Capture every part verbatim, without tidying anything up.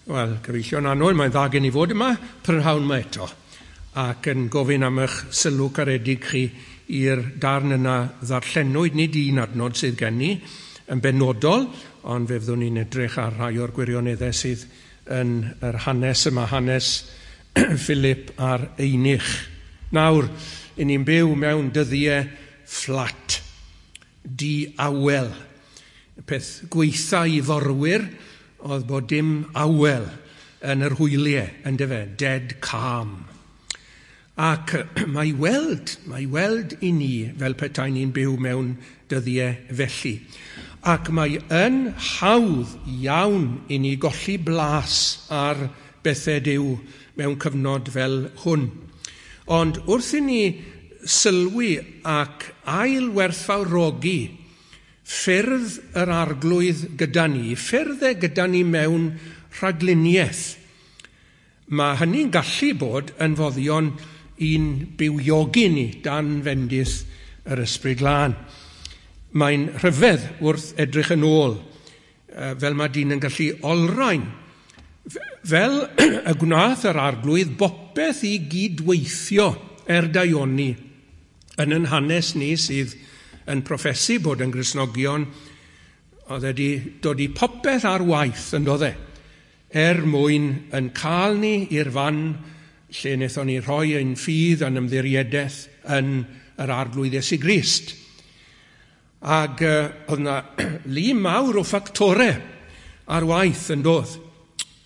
Wel, gyfeillion annwyl, mae'n dda gen i fod yma prynhawn yma eto, ac yn gofyn am eich sylw caredig chi i'r darn yna ddarllenwyd, nid un adnod sydd gen i yn benodol, ond fe fyddwn ni'n edrych ar rhai o'r gwirioneddau sydd yn yr hanes yma, hanes Philip a'r Eunuch. Nawr, i ni'n byw mewn dyddiau fflat, di-awel. Peth gweitha i forwyr oedd bod dim awel yn yr hwyliau, yndyfe, dead calm. Ac mae weld, mae weld i ni fel petai ni'n byw mewn dyddiau felly. Ac mae yn hawdd iawn i ni golli blas ar bethau Duw mewn cyfnod fel hwn. Ond wrth i ni sylwi ac ailwerthfawrogi ffyrdd yr Arglwydd gyda ni, ffyrdd e gyda ni mewn rhagluniaeth, mae hynny'n gallu bod yn foddion i'n bywiogi ni dan fendith yr Ysbryd Glân. Mae'n rhyfedd wrth edrych yn ôl, fel mae dyn yn gallu olrhain, fel y gwnaeth yr Arglwydd bopeth i gydweithio er daioni yn yn hanes ni sydd yn proffesu bod yn Gristnogion, oedd wedi dod i popeth ar waith yn doedd e, er mwyn yn cael ni i'r fan lle wnaethon ni rhoi ein ffydd a'n ymddiriedaeth yn yr Arglwydd Iesu Grist. Ac uh, oedd yna lu mawr o ffactorau ar waith yn doedd.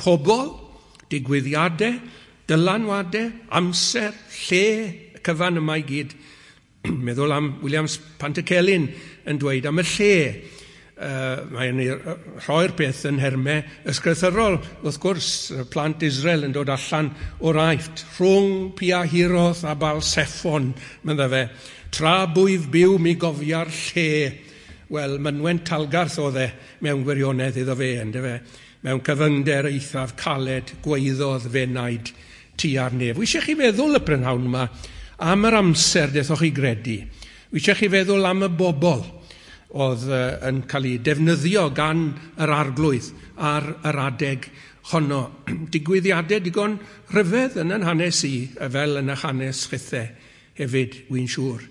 Pobl, digwyddiadau, dylanwadau, amser, lle, y cyfan yma i gyd. Meddwl am Williams Pantycelyn yn dweud am y lle. Uh, mae'n rhoi'r peth yn nhermau ysgrythyrol. Wrth gwrs, plant Israel yn dod allan o'r Aifft. Rhwng Piahiroth a Balseffon, medda fe. Tra bwyf byw mi gofia'r lle. Wel, mynwent Talgarth oedd e mewn gwirionedd iddo fe, yndyfe. Mewn cyfyngder eithaf caled gweiddodd fenaid tua'r nef. Wi eisiau chi feddwl y prynhawn yma am yr amser dethoch chi gredu. Wi eisiau chi feddwl am y bobl oedd yn cael ei defnyddio gan yr Arglwydd ar yr adeg honno. Digwyddiadau digon rhyfedd yn yn hanes i, fel yn eich hanes chithe hefyd, wy'n siŵr.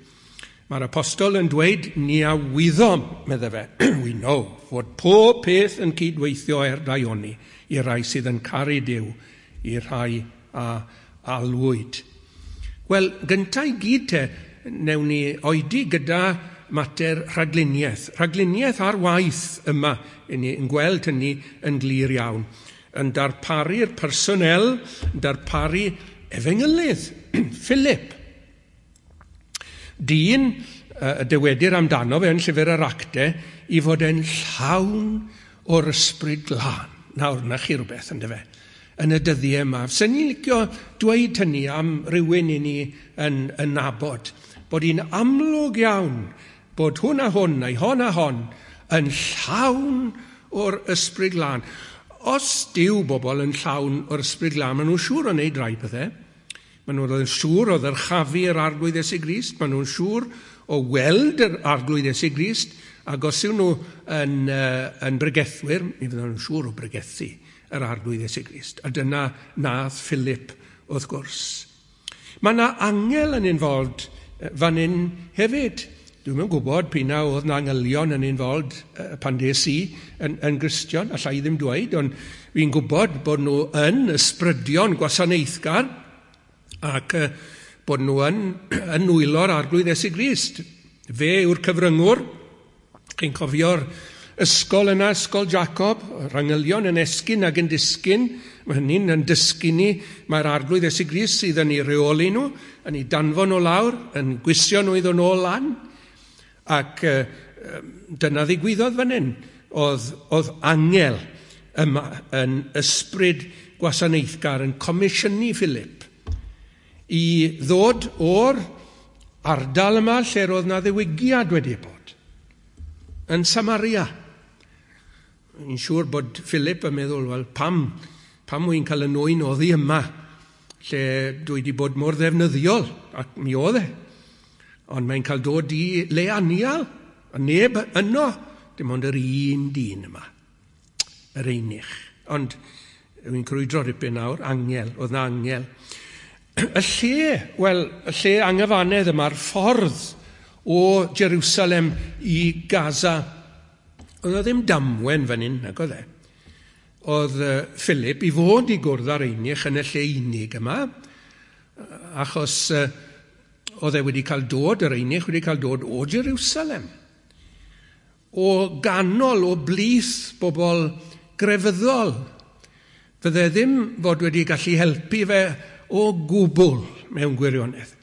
Mae'r apostol yn dweud, ni a wyddom, medde fe, we know, fod pob peth yn cydweithio er daioni i'r rhai sydd yn caru Duw, i'r rhai a alwyd. Wel, gyntaf i gyd te, newn ni oedi gyda mater rhagluniaeth. Rhagluniaeth ar waith yma, i ni yn gweld hynny yn glir iawn. Yn darparu'r personel, yn darparu efengylydd, Philip. Dyn, y dywedir amdano fe yn llyfr yr Actau, i fod yn llawn o'r Ysbryd Glân. Nawr, na chi rhywbeth, yndyfe, yn y dyddiau yma. Sen ni'n licio dweud hynny am rywun i ni yn, yn nabod, bod hi'n amlwg iawn bod hwn a hwn, neu hon a hon, yn llawn o'r Ysbryd Glân. Os dyw bobl yn llawn o'r Ysbryd Glân, maen nhw'n siŵr o wneud rai pethau. Maen nhw'n siŵr o ddyrchafu yr Arglwydd Iesu Grist, maen nhw'n siŵr o weld yr Arglwydd Iesu Grist, ac os yw nhw yn, uh, yn bregethwyr, mi fydden nhw'n siŵr o bregethu yr Arglwydd Iesu Grist. A dyna nath Philip, wrth gwrs. Mae yna angel yn involved fan hyn hefyd. Dwi'm yn gwybod p'un a oedd 'na angylion yn involved pan des i yn, yn Gristion, allai ddim dweud, ond fi'n gwybod bod nhw yn ysbrydion gwasanaethgar ac bod nhw yn, yn nwylo'r Arglwydd Iesu Grist. Fe yw'r cyfryngwr. Chi'n cofio'r ysgol yna, ysgol Jacob, yr angylion yn esgyn ac yn disgyn. Mae hynny'n yn dysgu ni, mae'r Arglwydd Iesu Grist sydd yn ei reoli nhw, yn ei danfon nhw lawr, yn gwisio nhw iddo nôl lan. Ac uh, dyna ddigwyddodd fan hyn. Oedd, oedd angel yma yn ysbryd gwasanaethgar yn comisiynu Philip i ddod o'r ardal yma lle roedd na ddiwygiad wedi bod, yn Samaria. Yn siŵr bod Philip yn meddwl, wel, pam, pam wy'n cael y nwyn oddi yma, lle dwi wedi bod mor ddefnyddiol, ac mi oedd e. Ond mae'n cael dod i le anial, a neb yno, dim ond yr un dyn yma, yr eunuch. Ond Wy'n crwydro ripyn nawr, angel, oedd na angel. Y lle, wel, y lle anghyfannedd yma'r ffordd o Jerusalem i Gaza, oedd o ddim damwen fan hyn, nag oedd e. Oedd Philip i fod i gwrdd â'r eunuch yn y lle unig yma, achos oedd e wedi cael dod, yr eunuch wedi cael dod o Jerusalem. O ganol, o blith bobl grefyddol. Fydde ddim fod wedi gallu helpu fe o gwbl mewn gwirionedd.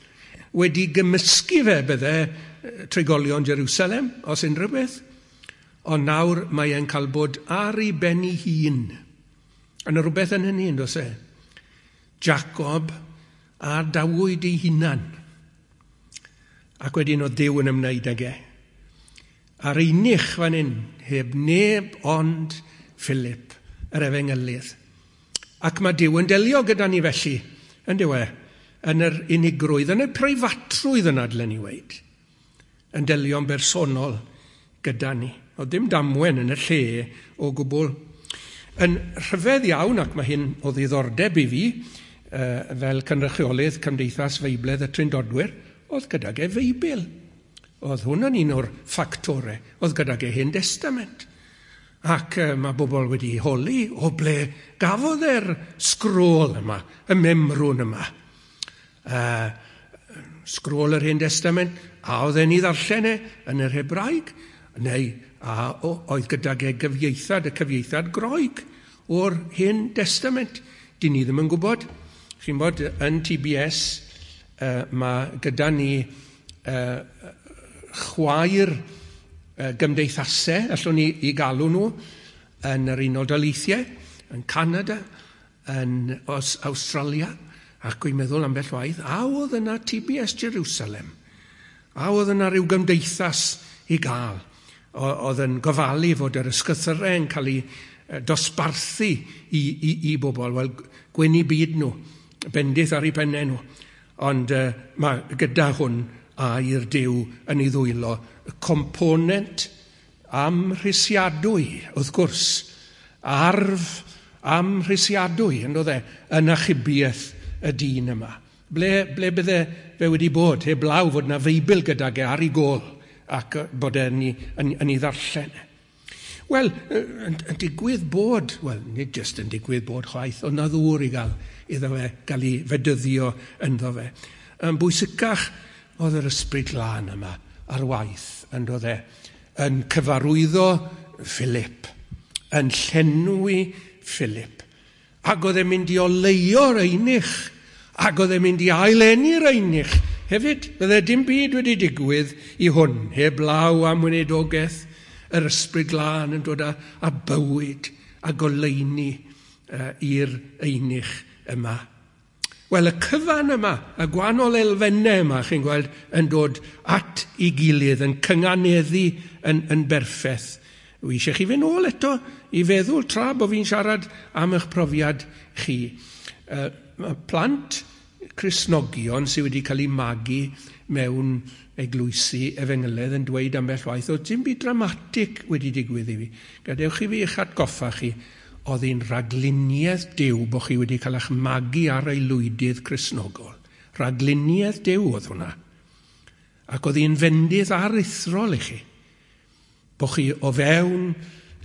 Wedi gymysgu fe bydde trigolion Jerusalem, os unrhyw beth. Ond nawr mae e'n cael bod ar ei ben ei hun. Yna rhywbeth yn hynny, yn does e? Jacob a dawyd ei hunan. Ac wedyn oedd Duw yn ymwneud ag e. A'r eunuch fan hyn, heb neb ond Philip, yr efengylydd. Ac mae Duw yn delio gyda ni felly, yn dyw e, yn yr unigrwydd, yn y preifatrwydd yna, dylen ni weud, yn delio'n bersonol gyda ni. Oedd dim damwen yn y lle o gwbl. Yn rhyfedd iawn, ac mae hyn o ddiddordeb i fi, fel cynrychiolydd Cymdeithas Feibledd y Trindodwyr, oedd gydag e Feibl. Oedd hwn yn un o'r ffactorau. Oedd gydag e Hen Testament. Ac uh, mae bobl wedi holi o ble gafodd e'r sgrôl yma, y memrwn yma. Uh, sgrôl yr Hen Testament, a oedd e'n ei ddarllen e yn yr Hebraeg, neu a o, oedd gydag e gyfieithad, y cyfieithad Groeg o'r Hen Testament. Dyn ni ddim yn gwybod. Chi'n bod, yn T B S, uh, mae gyda ni uh, chwaer uh, gymdeithasau, allwn ni i galw nhw, yn yr Unol Daleithiau, yn Canada, yn Awstralia, ac dwi'n meddwl ambell waith, a oedd yna T B S Jerusalem, a oedd yna rhyw gymdeithas i gael, oedd yn gofalu fod yr ysgythyrau yn cael ei dosbarthu i, i, i bobl, wel, gwenu byd nhw, bendith ar eu pennau nhw. Ond uh, mae gyda hwn air Duw yn ei ddwylo, y component amhrisiadwy, wrth gwrs, arf amhrisiadwy, yn dod e, yn achubiaeth y dyn yma. Ble, ble bydde fe wedi bod, heblaw fod na Feibl gydag e ar ei gôl, ac bod e'n yn, yn, yn ei ddarllen. Wel, yn, yn digwydd bod, wel, nid jyst yn digwydd bod chwaith, ond na ddŵr i gael iddo fe, gael ei fedyddio ynddo fe. Yn bwysicach oedd yr ysbryd glân yma ar waith, yn dod e, yn cyfarwyddo Philip, yn llenwi Philip. Ac oedd e'n mynd i oleuo'r eunuch, ac oedd e'n mynd i aileni'r eunuch. Hefyd, bydde dim byd wedi digwydd i hwn, heblaw am weinidogaeth yr ysbryd glân yn dod â, â bywyd a goleuni uh, i'r eunuch yma. Wel, y cyfan yma, y gwahanol elfennau yma, chi'n gweld, yn dod at ei gilydd, yn cynganeddu yn, yn berffaith. Wi eisiau chi fynd nôl eto i feddwl tra bod fi'n siarad am eich profiad chi. Uh, plant Cristnogion sydd wedi cael eu magu mewn eglwysi efengylaidd yn dweud ambell waith, oedd dim byd dramatig wedi digwydd i fi. Gadewch i fi eich atgoffa chi, oedd hi'n rhagluniaeth Duw bod chi wedi cael eich magu ar aelwydydd Cristnogol. Rhagluniaeth Duw oedd hwnna. Ac oedd hi'n fendith aruthrol i chi. Bod chi o fewn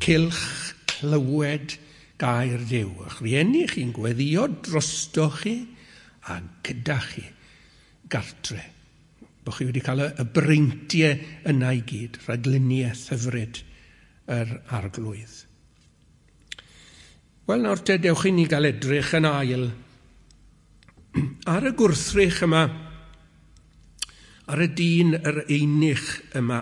cylch clywed gair Duw. A'ch rhieni chi'n gweddio drosto chi a gyda chi gartre. Bod chi wedi cael y breintiau yna i gyd, rhagluniaeth hyfryd yr Arglwydd. Wel, nawr te, dewch i ni gael edrych yn ail ar y gwrthrych yma, ar y dyn yr eunuch yma.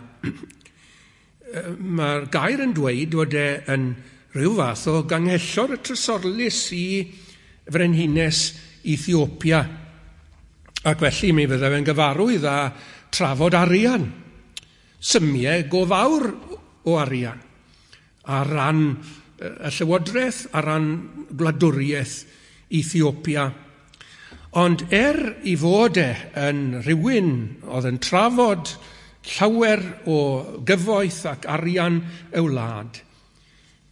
Mae'r gair yn dweud fod e yn rhyw fath o ganghellor y trysorlys i frenhines Ethiopia. Ac felly mi fydde fe'n gyfarwydd â trafod arian, symiau go fawr o arian, ar ran y llywodraeth, ar ran gwladwriaeth Ethiopia. Ond er i fod e yn rhywun oedd yn trafod llawer o gyfoeth ac arian y wlad,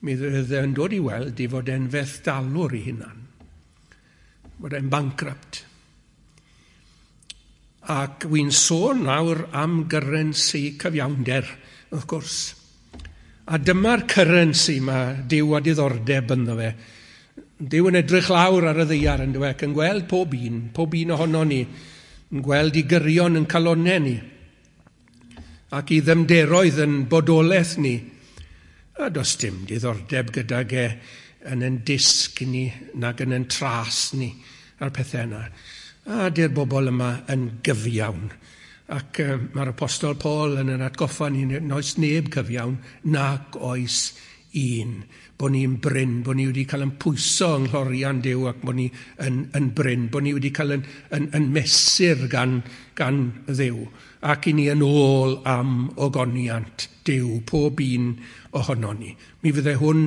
Mi fydde e'n dod i weld i fod e'n fethdalwr i hunan, bod e'n bankrupt. Ac wy'n sôn nawr am gyrensi cyfiawnder, wrth gwrs. A dyma'r currency mae Duw a diddordeb ynddo fe. Duw yn edrych lawr ar y ddaear yn dweud, yn gweld pob un, pob un ohono ni, yn gweld i gyrion yn calonau ni, ac i ddymderoedd yn bodolaeth ni. A does dim diddordeb gydag e yn ein disg ni, nag yn ein tras ni, a'r pethau yna. A di'r bobl yma yn gyfiawn. Ac uh, mae'r Apostol Paul yn yn atgoffa ni, oes neb cyfiawn, nac oes un. Bod ni'n brin, bod ni wedi cael yn pwyso yng nghlorian Duw ac bod ni yn, yn brin, bod ni wedi cael yn, yn, yn mesur gan, gan Dduw. Ac i ni yn ôl am ogoniant Duw, pob un ohono ni. Mi fydde hwn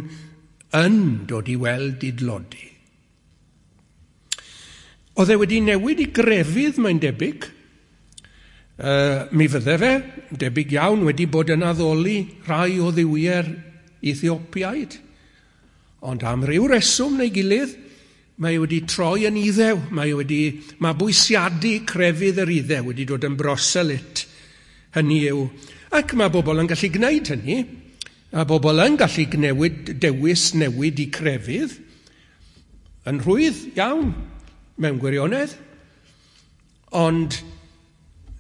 yn dod i weld i dlodi. Oedd e wedi newid i grefydd, mae'n debyg. Uh, mi fydde fe, debyg iawn, wedi bod yn addoli rhai o dduwiau'r Ethiopiaid. Ond am ryw reswm neu gilydd, mae wedi troi yn Iddew. Mae wedi mabwysiadu crefydd yr Iddew, wedi dod yn broselit. Hynny yw, ac mae bobl yn gallu gwneud hynny, a bobl yn gallu newid, dewis newid i crefydd, yn rhwydd iawn mewn gwirionedd, ond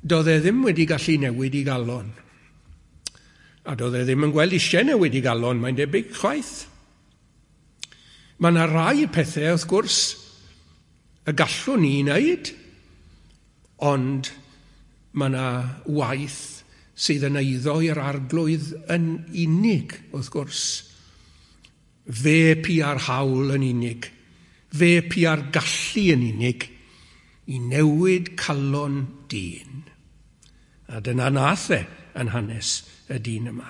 doedd e ddim wedi gallu newid i galon. A doedd e ddim yn gweld eisiau newid i galon, mae'n debyg chwaith. Mae yna rai pethau, wrth gwrs, y gallwn ni wneud, ond mae yna waith sydd yn eiddo i'r Arglwydd yn unig, wrth gwrs. Fe pia'r hawl yn unig, fe pia'r gallu yn unig i newid calon dyn. A dyna nath e yn hanes y dyn yma.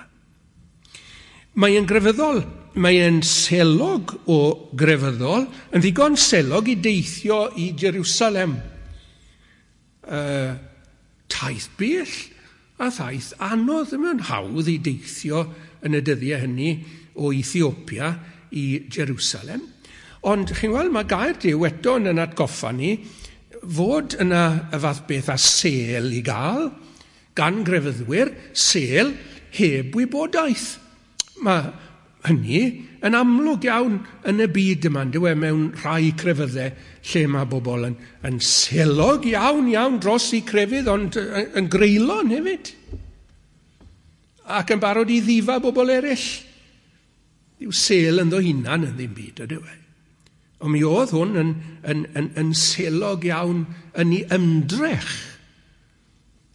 Mae e'n grefyddol, mae e'n selog o grefyddol, yn ddigon selog i deithio i Jerusalem. Uh, taith bell a thaith anodd, ddim yn hawdd i deithio yn y dyddiau hynny o Ethiopia i Jerusalem. Ond chi'n gweld, mae gair Duw eto yn yn atgoffa ni fod yna y fath beth a sel i gael gan grefyddwyr, sel heb wybodaeth. Mae hynny yn amlwg iawn yn y byd yma, dyw e, mewn rhai crefyddau lle mae bobl yn, yn selog iawn iawn dros eu crefydd, ond yn greulon hefyd. Ac yn barod i ddifa bobl eraill. Dyw sel ynddo hunan yn ddim byd, ydyw e. Ond mi oedd hwn yn, yn, yn, yn selog iawn yn ei ymdrech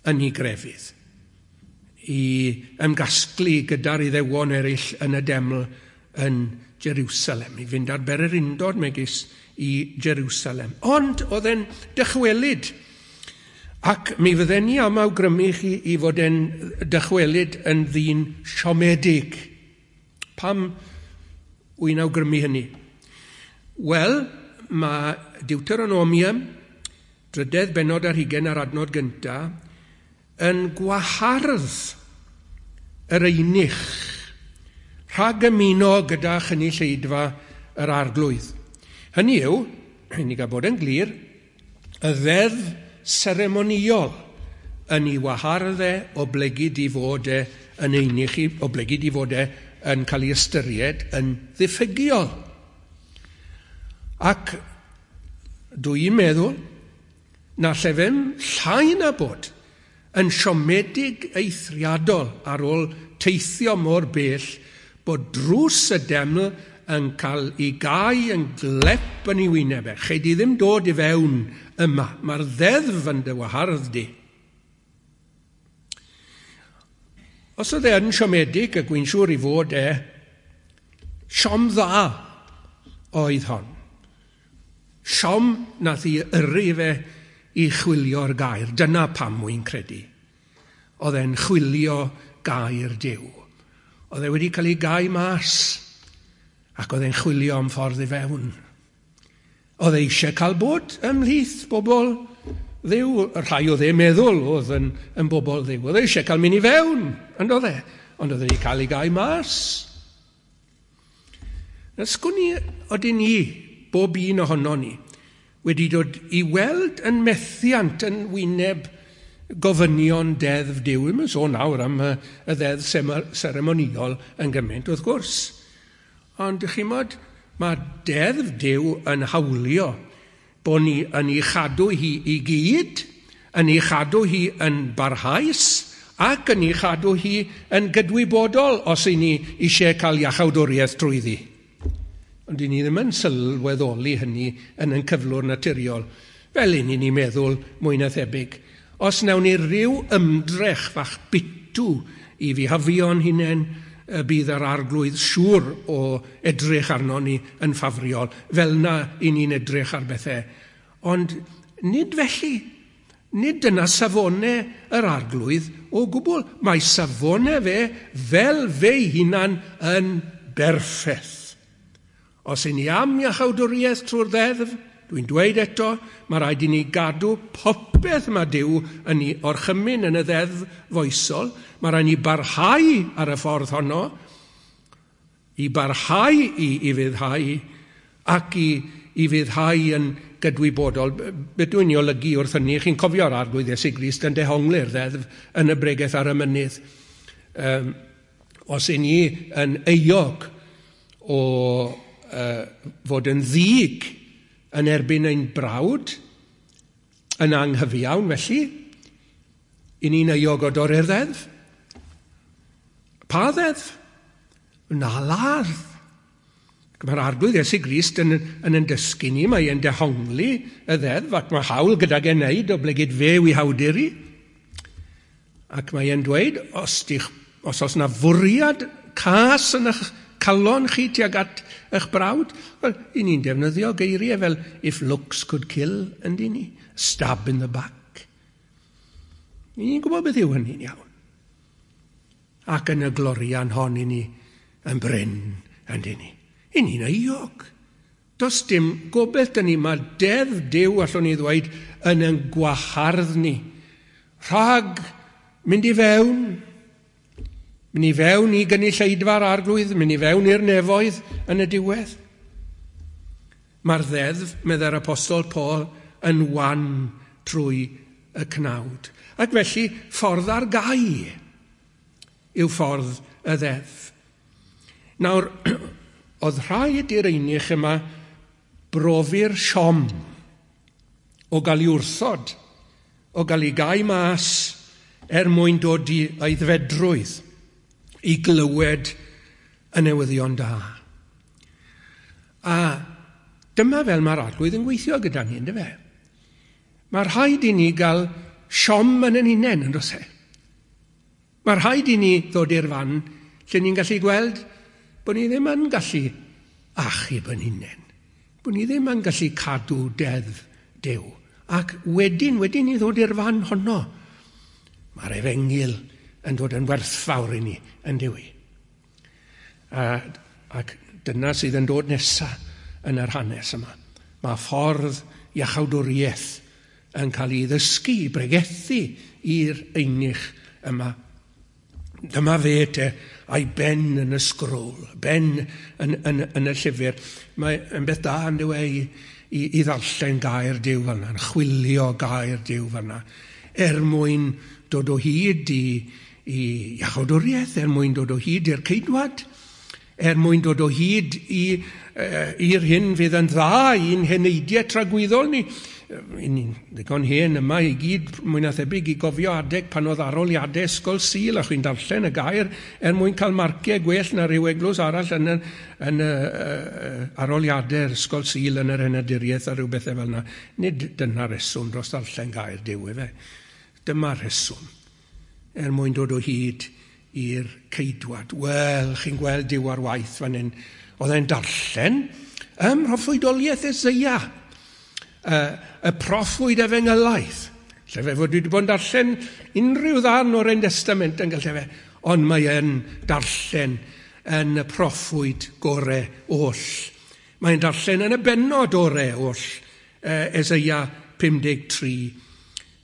yn ei grefydd, i ymgasglu gyda'r Iddewon eraill yn y deml yn Jerusalem, i fynd ar bererindod megis i Jerusalem. Ond oedd e'n dychwelyd, ac mi fydden ni am awgrymu chi i fod e'n dychwelyd yn ddyn siomedig. Pam wy'n awgrymu hynny? Wel, mae Deuteronomium, drydedd bennod ar hugain ar adnod gyntaf, yn gwahardd yr eunuch rhag ymuno gyda chynulleidfa yr Arglwydd. Hynny yw, i ni gael bod yn glir, y ddeddf seremonïol yn ei wahardd e oblegid i fod e yn eunuch, oblegid i fod e yn cael ei ystyried yn ddiffygiol. Ac dwi'n meddwl na llefem llai na bod yn siomedig eithriadol ar ôl teithio mor bell bod drws y deml yn cael ei gau yn glep yn ei wyneb e. Chei di ddim dod i fewn yma. Mae'r ddeddf yn dy wahardd di. Os oedd e yn siomedig, ac wy'n siŵr i fod e, siom dda oedd hon. Siom nath i yrru fe i chwilio'r gair. Dyna pam wy'n credu. Oedd e'n chwilio gair Duw. Oedd e wedi cael ei gau mas, ac oedd e'n chwilio am ffordd i fewn. Oedd e eisiau cael bod ymhlith bobl Dduw, y rhai oedd e'n meddwl oedd yn, yn bobl Dduw. Oedd e eisiau cael mynd i fewn, ond oedd e. Ond oedd e wedi cael ei gau mas. Na sgwn i odyn ni, bob un ohono ni, wedi dod i weld yn methiant yn wyneb gofynion deddf Duw. Ddim yn sôn nawr am y, y ddeddf seremoniol yn gymaint, wrth gwrs. Ond chi'n mod, mae deddf Duw yn hawlio bod ni yn ei chadw hi i gyd, yn ei chadw hi yn barhaus, ac yn ei chadw hi yn gydwybodol os y'n ni eisiau cael iachawdwriaeth trwyddi. Ond i ni ddim yn sylweddoli hynny yn ein cyflwr naturiol, fel un i ni meddwl mwy na thebyg. Os wnawn ni ryw ymdrech fach bitw i fihafio'n hunain, y bydd yr arglwydd siŵr o edrych arno ni yn ffafriol, fel na i ni'n edrych ar bethau. Ond nid felly. Nid dyna safonau yr arglwydd o gwbl. Mae safonau fe fel fe'i hunan yn berffaith. Os y'n ni am iachawdwriaeth trwy'r ddeddf, dwi'n dweud eto, mae rhaid i ni gadw popeth mae Duw yn ei orchymyn yn y ddeddf foesol. Mae rhaid ni barhau ar y ffordd honno, i barhau i, i fyddhau ac i, i fyddhau yn gydwybodol. Beth dwi'n ei olygu wrth hynny, chi'n cofio'r arglwydd Iesu Grist yn dehongli'r ddeddf yn y bregeth ar y mynydd. Um, os y'n ni yn euog o uh, fod yn ddig yn erbyn ein brawd, yn anghyfiawn felly, i ni'n euog o dorri'r ddeddf. Pa ddeddf? Na ladd. Mae'r arglwydd Iesu Grist yn, yn yn dysgu ni, mae e'n dehongli y ddeddf, ac mae hawl gydag e'n neud o blegid fe yw ei hawdur i. Ac mae e'n dweud, os, dych, os oes na fwriad cas yn eich calon chi tuag at eich brawd, wel, i ni'n defnyddio geiriau fel if looks could kill, yndyn ni? Stab in the back. I ni'n gwybod beth yw hynny'n iawn. Ac yn y glorian hon i ni yn brin, yndyn ni? I ni'n euog. Does dim gobaith dyn ni, mae deddf Duw, allwn ni ddweud, yn ein gwahardd ni. Rhag mynd i fewn, mynd i fewn i gynulleidfa'r arglwydd, mynd i fewn i'r nefoedd yn y diwedd. Mae'r ddeddf, meddai'r apostol Paul, yn wan trwy y cnawd. Ac felly, ffordd ar gau yw ffordd y ddeddf. Nawr, oedd rhaid i'r eunuch yma brofi'r siom o gael ei wrthod, o gael ei gau mas er mwyn dod i aeddfedrwydd, i glywed y newyddion da. A dyma fel mae'r arglwydd yn gweithio gyda ni, yndyfe? Mae rhaid i ni gael siom yn ein hunain, yn does e? Mae rhaid i ni ddod i'r fan lle ni'n gallu gweld bod ni ddim yn gallu achub yn hunain, bod ni ddim yn gallu cadw deddf Duw. Ac wedyn, wedyn ni ddod i'r fan honno, mae'r efengyl yn dod yn werthfawr i ni, yn dyw i. A, ac dyna sydd yn dod nesaf yn yr hanes yma. Mae ffordd iachawdwriaeth yn cael ei ddysgu, i bregethu i'r eunuch yma. Dyma fe te, a'i ben yn y sgrôl, ben yn, yn, yn y llyfr. Mae yn beth da yn dyw e i, i, i ddarllen gair Duw fel yna, yn chwilio gair Duw fel yna, er mwyn dod o hyd i, i iachawdwriaeth, er mwyn dod o hyd i'r ceidwad, er mwyn dod o hyd i'r hyn fydd yn dda i'n heneidiau tragwyddol ni. Ni'n ddigon hen yma i gyd mwy na thebyg i gofio adeg pan oedd arholiadau ysgol Sul a chi'n darllen y gair er mwyn cael marciau gwell na rhyw eglwys arall yn y, yn y uh, arholiadau ysgol Sul yn yr henaduriaeth a rhyw bethau fel yna. Nid dyna reswm dros darllen gair Duw efe. Dyma'r rheswm er mwyn dod o hyd i'r ceidwad. Wel, chi'n gweld Duw ar waith fan hyn. Oedd e'n darllen ym mhroffwydoliaeth Eseia, y, y proffwyd efengylaeth. Lle fe fod wedi bod yn darllen unrhyw ddarn o'r Hen Testament yn gallu fe, ond mae e'n darllen yn y proffwyd gore oll. Mae'n darllen yn y bennod ore oll, Eseia pum deg tri.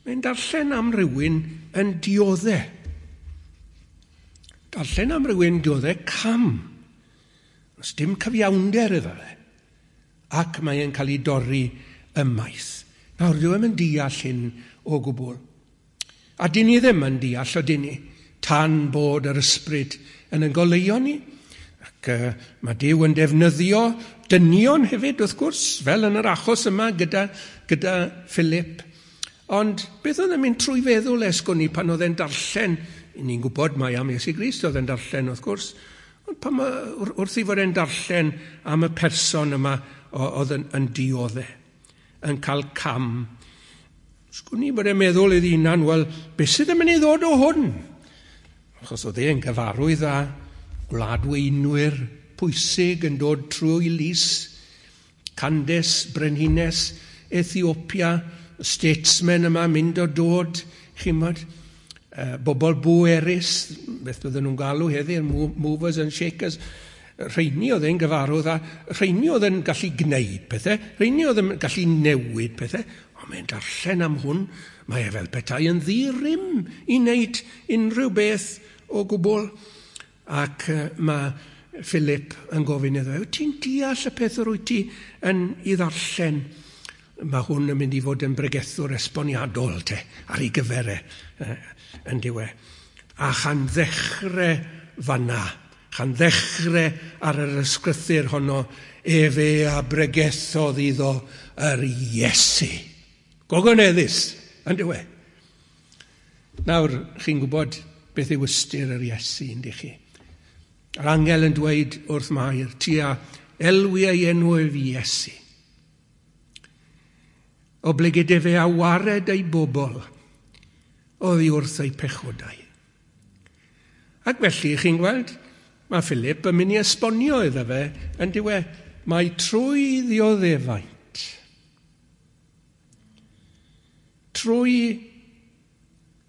Mae'n darllen am rywun yn dioddau. Darllen am rywun dioddau cam. Does dim cyfiawnder iddo fe. Ac mae e'n cael ei dorri ymaith. Nawr, dyw e'm yn deall hyn o gwbl. A dyn ni ddim yn deall o dyn ni, tan bod yr ysbryd yn ein goleuo ni. Ac uh, mae Duw yn defnyddio dynion hefyd, wrth gwrs, fel yn yr achos yma gyda, gyda Philip. Ond beth oedd yn mynd trwy feddwl esgwn ni pan oedd e'n darllen, ni'n gwybod mai am Iesu Grist oedd e'n darllen, wrth gwrs, ond pan ma, wrth i fod e'n darllen am y person yma oedd yn, yn dioddef, yn cael cam, sgwn i bod e'n meddwl iddi hunan, wel, beth sydd yn mynd i ddod o hwn? Achos oedd e'n gyfarwydd â gwladweinwyr pwysig yn dod trwy lys, Candace, Brenhines, Ethiopia, statesmen yma mynd o dod, chi'mod, uh, bobl bwerus, beth bydden nhw'n galw heddiw, movers and shakers, rheini oedd e'n gyfarwydd a rheini oedd yn gallu gwneud pethau, rheini oedd yn gallu newid pethau, ond mae'n darllen am hwn, mae e fel petai yn ddi-rym i wneud unrhyw beth o gwbl. Ac uh, mae Philip yn gofyn iddo, wyt ti'n deall y peth yr wyt ti yn ei ddarllen? Mae hwn yn mynd i fod yn bregethwr esboniadol te, ar ei gyfer e, yn diwe. A chan ddechrau fanna, chan ddechrau ar yr ysgrythur honno, efe a bregethodd iddo yr Iesu. Gogoneddus, yn diwe. Nawr, chi'n gwybod beth yw ystyr yr Iesu, yndych chi? Yr angel yn dweud wrth Mair, ti a elwi ei enw ef Iesu. Oblegid efe a wared ei bobl oddi wrth ei pechodau. Ac felly, chi'n gweld, mae Philip yn mynd i esbonio iddo fe yn diwe, mae trwy ddioddefaint, trwy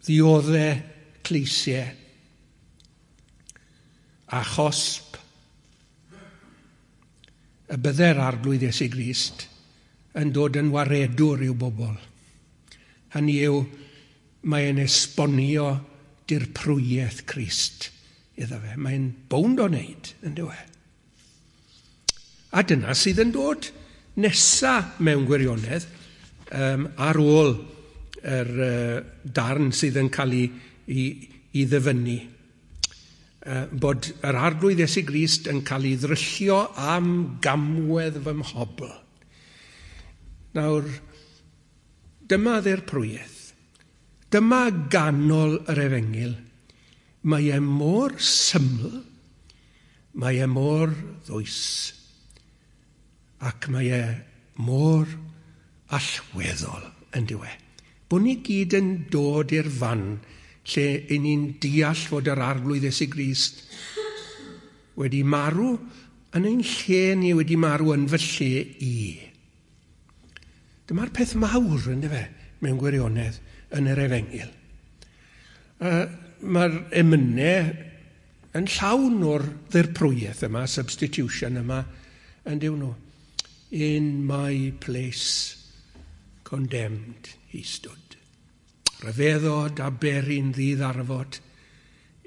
ddiodde cleisiau a chosb y bydde'r Arglwydd Iesu Grist yn dod yn waredwr i'w bobl. Hynny yw, mae'n esbonio dirprwyaeth Crist iddo fe. Mae'n bownd o wneud, yn dyw e. A dyna sydd yn dod nesa mewn gwirionedd um, ar ôl yr uh, darn sydd yn cael ei, ei, ei ddyfynnu. Uh, bod yr Arglwydd Iesu Grist yn cael ei ddryllio am gamwedd fy mhobl. Nawr, dyma ddirprwyaeth. Dyma ganol yr efengyl. Mae e mor syml, mae e mor ddwys, ac mae e mor allweddol yn dyw e. Bod ni gyd yn dod i'r fan lle i ni'n deall fod yr Arglwydd Iesu Grist wedi marw yn ein lle ni, wedi marw yn fy lle i. Dyma'r peth mawr, yndyfe, mewn gwirionedd yn yr efengyl. Uh, Mae'r emynau yn llawn o'r ddirprwyaeth yma, substitution yma, yn dyw nhw. In my place condemned he stood. Rhyfeddod a beri'n ddiddarfod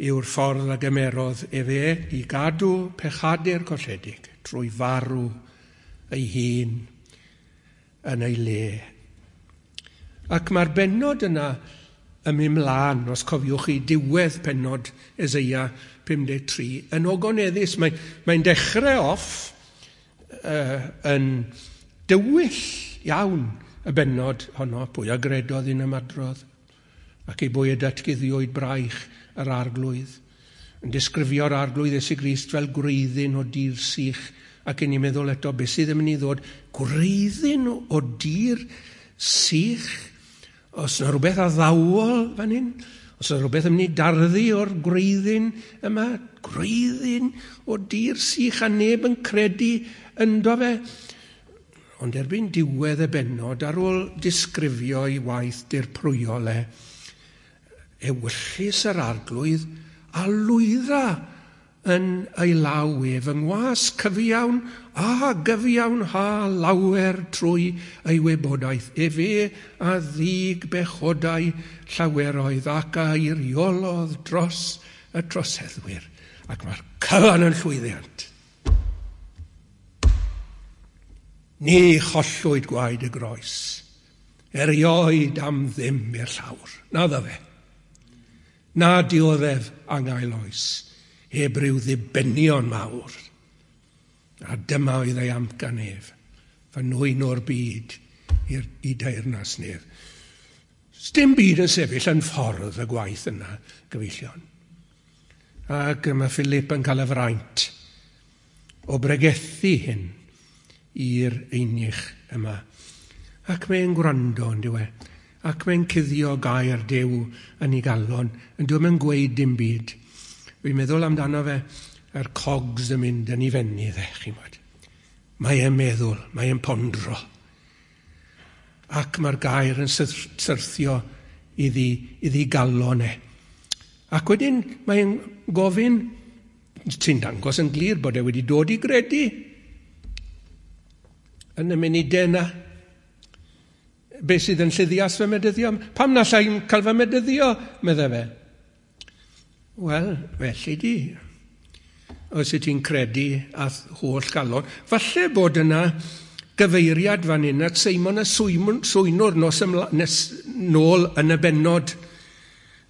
yw'r ffordd a gymerodd efe i gadw pechadur colledig trwy farw ei hun yn ei le. Ac mae'r bennod yna yn mynd mlaen, os cofiwch chi, diwedd pennod Eseia pum deg tri, yn ogoneddus. Mae'n mae dechrau off uh, yn dywyll iawn y bennod honno, pwy a gredodd un ymadrodd, ac ei bwy y datguddiwyd braich yr Arglwydd, yn disgrifio'r Arglwydd Iesu Grist fel gwreiddyn o dir sych, ac yn i'n meddwl eto, beth sydd yn mynd i ddod? Gwreiddyn o dir sych? Os yna rhywbeth addawol fan hyn? Os yna rhywbeth yn mynd i darddu o'r gwreiddyn yma? Gwreiddyn o dir sych a neb yn credu ynddo fe? Ond erbyn diwedd y bennod, ar ôl disgrifio ei waith dirprwyol e, ewyllys yr Arglwydd a lwydda yn ei law ef yng ngwas cyfiawn a gyfiawn ha lawer trwy ei wybodaeth. Efe a ddig bechodau llaweroedd ac a eiriolodd dros y troseddwyr. Ac mae'r cyfan yn llwyddiant. Ni chollwyd gwaed y groes, erioed am ddim i'r llawr. Na dda fe. Na dioddef angael oes, heb ryw ddibenion mawr. A dyma oedd ei amcan ef, fy nwyn o'r byd i'r, i deyrnas nef. Sdim byd yn sefyll yn ffordd y gwaith yna, gyfeillion. Ac mae Philip yn cael y fraint o bregethu hyn i'r einych yma. Ac mae'n gwrando, yn dyw e. Ac mae'n cuddio gair Duw yn ei galon, yn dyw e'n gweud dim byd. Fi'n meddwl amdano fe, yr cogs yn mynd yn ei fenni dde, chi'n gwybod. Mae e'n meddwl, mae e'n pondro. Ac mae'r gair yn syrthio iddi, iddi galon e. Ac wedyn mae'n gofyn, sy'n dangos yn glir bod e wedi dod i gredu yn y munudau yna. Be sydd yn lluddias fy medyddio? Pam na allai'n cael fy medyddio, medde fe. Wel, felly di. Os wyt ti'n credu a holl galon. Falle bod yna gyfeiriad fan hyn at Seimon y Swynwr nos ymla, nes nôl yn y bennod.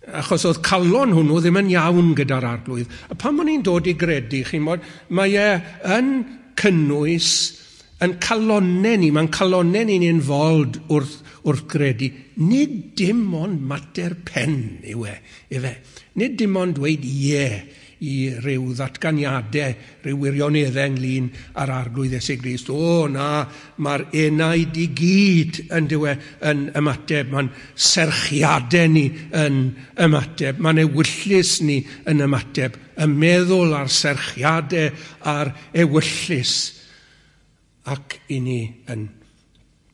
Achos oedd calon hwnnw ddim yn iawn gyda'r arglwydd. A pan o'n i'n dod i gredu, chi'n bod, mae e yn cynnwys yn calonnau ni, mae'n calonnau ni'n involved wrth, wrth gredu. Nid dim ond mater pen yw e, ife. Nid dim ond dweud ie i ryw ddatganiadau, ryw wirioneddau ynglyn â'r arglwydd Iesu Grist. O na, mae'r enaid i gyd yn dywe yn ymateb, mae'n serchiadau ni yn ymateb, mae'n ewyllys ni yn ymateb, y meddwl a'r serchiadau a'r ewyllys. Ac i ni yn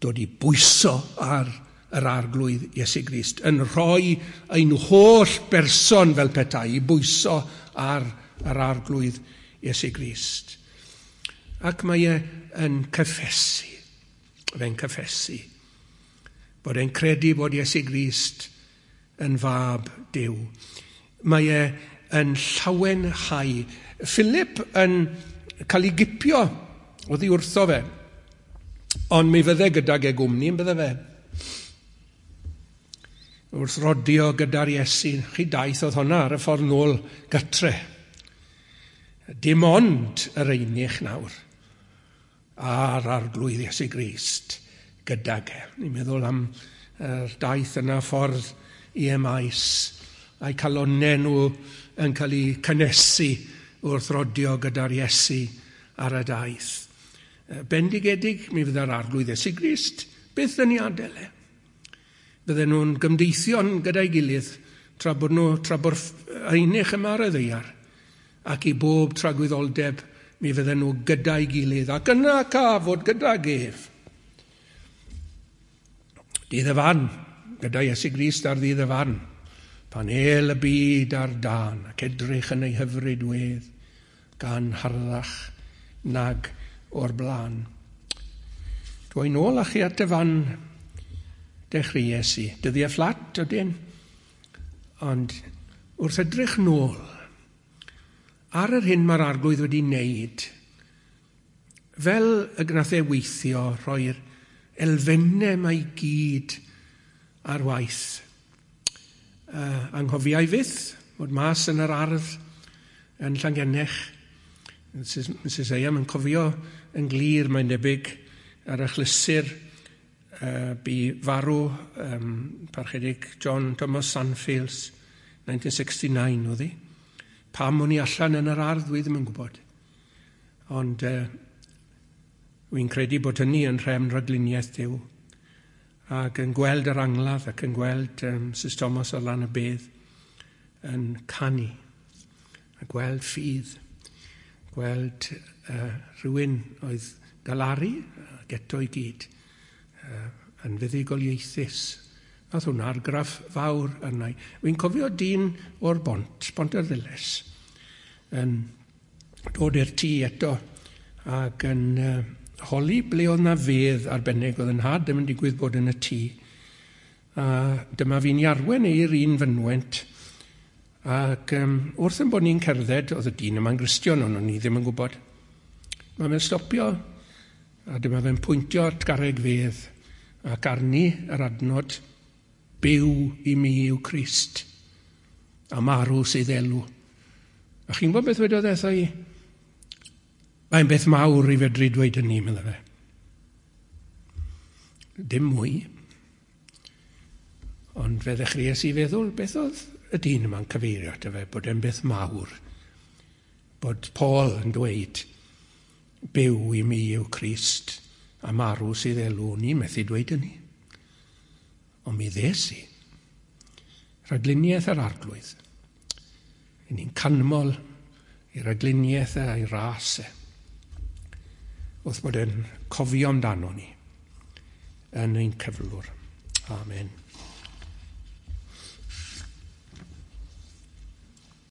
dod i bwyso ar yr arglwydd Iesu Grist, yn rhoi ein holl berson fel petai i bwyso ar yr arglwydd Iesu Grist. Ac mae e yn cyffesu, fe'n cyffesu, bod e'n credu bod Iesu Grist yn fab Duw. Mae e yn llawenhau. Philip yn cael ei gipio oddi wrtho fe, ond mi fydde gydag e gwmni yn bydde fe. Wrth rodio gyda'r Iesu, chi daith oedd honna ar y ffordd nôl gytre. Dim ond yr einych nawr a'r arglwydd Iesu Grist gydag e. Ni'n meddwl am yr daith yna ffordd i Emaus, a'i calonnau nhw yn cael eu cynnesu wrth rodio gyda'r Iesu ar y daith. Bendigedig mi fydda'r arglwydd Iesu Grist byth yn ei adael e. Bydden nhw'n gymdeithion gyda'i gilydd tra bod nhw, tra bod einych yma ar y ddaear, ac i bob tragwyddoldeb mi fydden nhw gyda'i gilydd, ac yna ca fod gydag ef. Dydd y farn, gyda Iesu Grist ar ddydd y farn, pan el y byd ar dân, ac edrych yn ei hyfryd wedd, gan harddach nag o'r blaen. Dwi nôl â chi at y fan dechreuais i. Dyddiau fflat ydyn, ond wrth edrych nôl ar yr hyn mae'r arglwydd wedi wneud, fel y gnath e weithio, rhoi'r elfennau mae i gyd ar waith. Uh, anghofiai fyth, bod mas yn yr ardd yn Llangennech. Missus Eyam yn cofio yn glir, mae'n debyg, ar achlysur uh, bu farw um, parchedig John Thomas Sanfields, nineteen sixty-nine oedd hi. Pam o'n i allan yn yr ardd, dwi ddim yn gwybod. Ond uh, wy'n credu bod hynny yn rhefn rhagluniaeth Duw. Ac yn gweld yr angladd ac yn gweld um, Missus Thomas ar lan y bedd yn canu. A gweld ffydd. Gweld uh, rhywun oedd galaru ac eto i gyd uh, yn fuddugoliaethus. Nath hwnna argraff fawr arna i. Wy'n cofio dyn o'r bont, Bont yr Ddiles, yn dod i'r tŷ eto ac yn uh, holi ble oedd na fedd arbennig oedd yn nhad ddim yn digwydd bod yn y tŷ. A dyma fi'n arwen i'r un fynwent. Ac um, wrth yn bod ni'n cerdded, oedd y dyn yma'n Gristion, ond o'n i ddim yn gwybod. Mae fe'n stopio A dyma fe'n pwyntio at garreg fedd ac arni yr adnod byw i mi yw Crist a marw sydd elw. A chi'n gwybod beth wedodd e wrtha i? Mae'n beth mawr i fedru dweud hynny, medda fe. Dim mwy. Ond fe ddechreuais i feddwl beth oedd y dyn yma'n cyfeirio ato fe, bod e'n beth mawr. Bod Paul yn dweud, byw i mi yw Crist, a marw sydd elw, ni methu dweud hynny. Ond mi ddes i. Rhagluniaeth yr arglwydd. I ni'n canmol i ragluniaeth e a'i ras e. Wrth bod e'n cofio amdano ni yn ein cyflwr. Amen.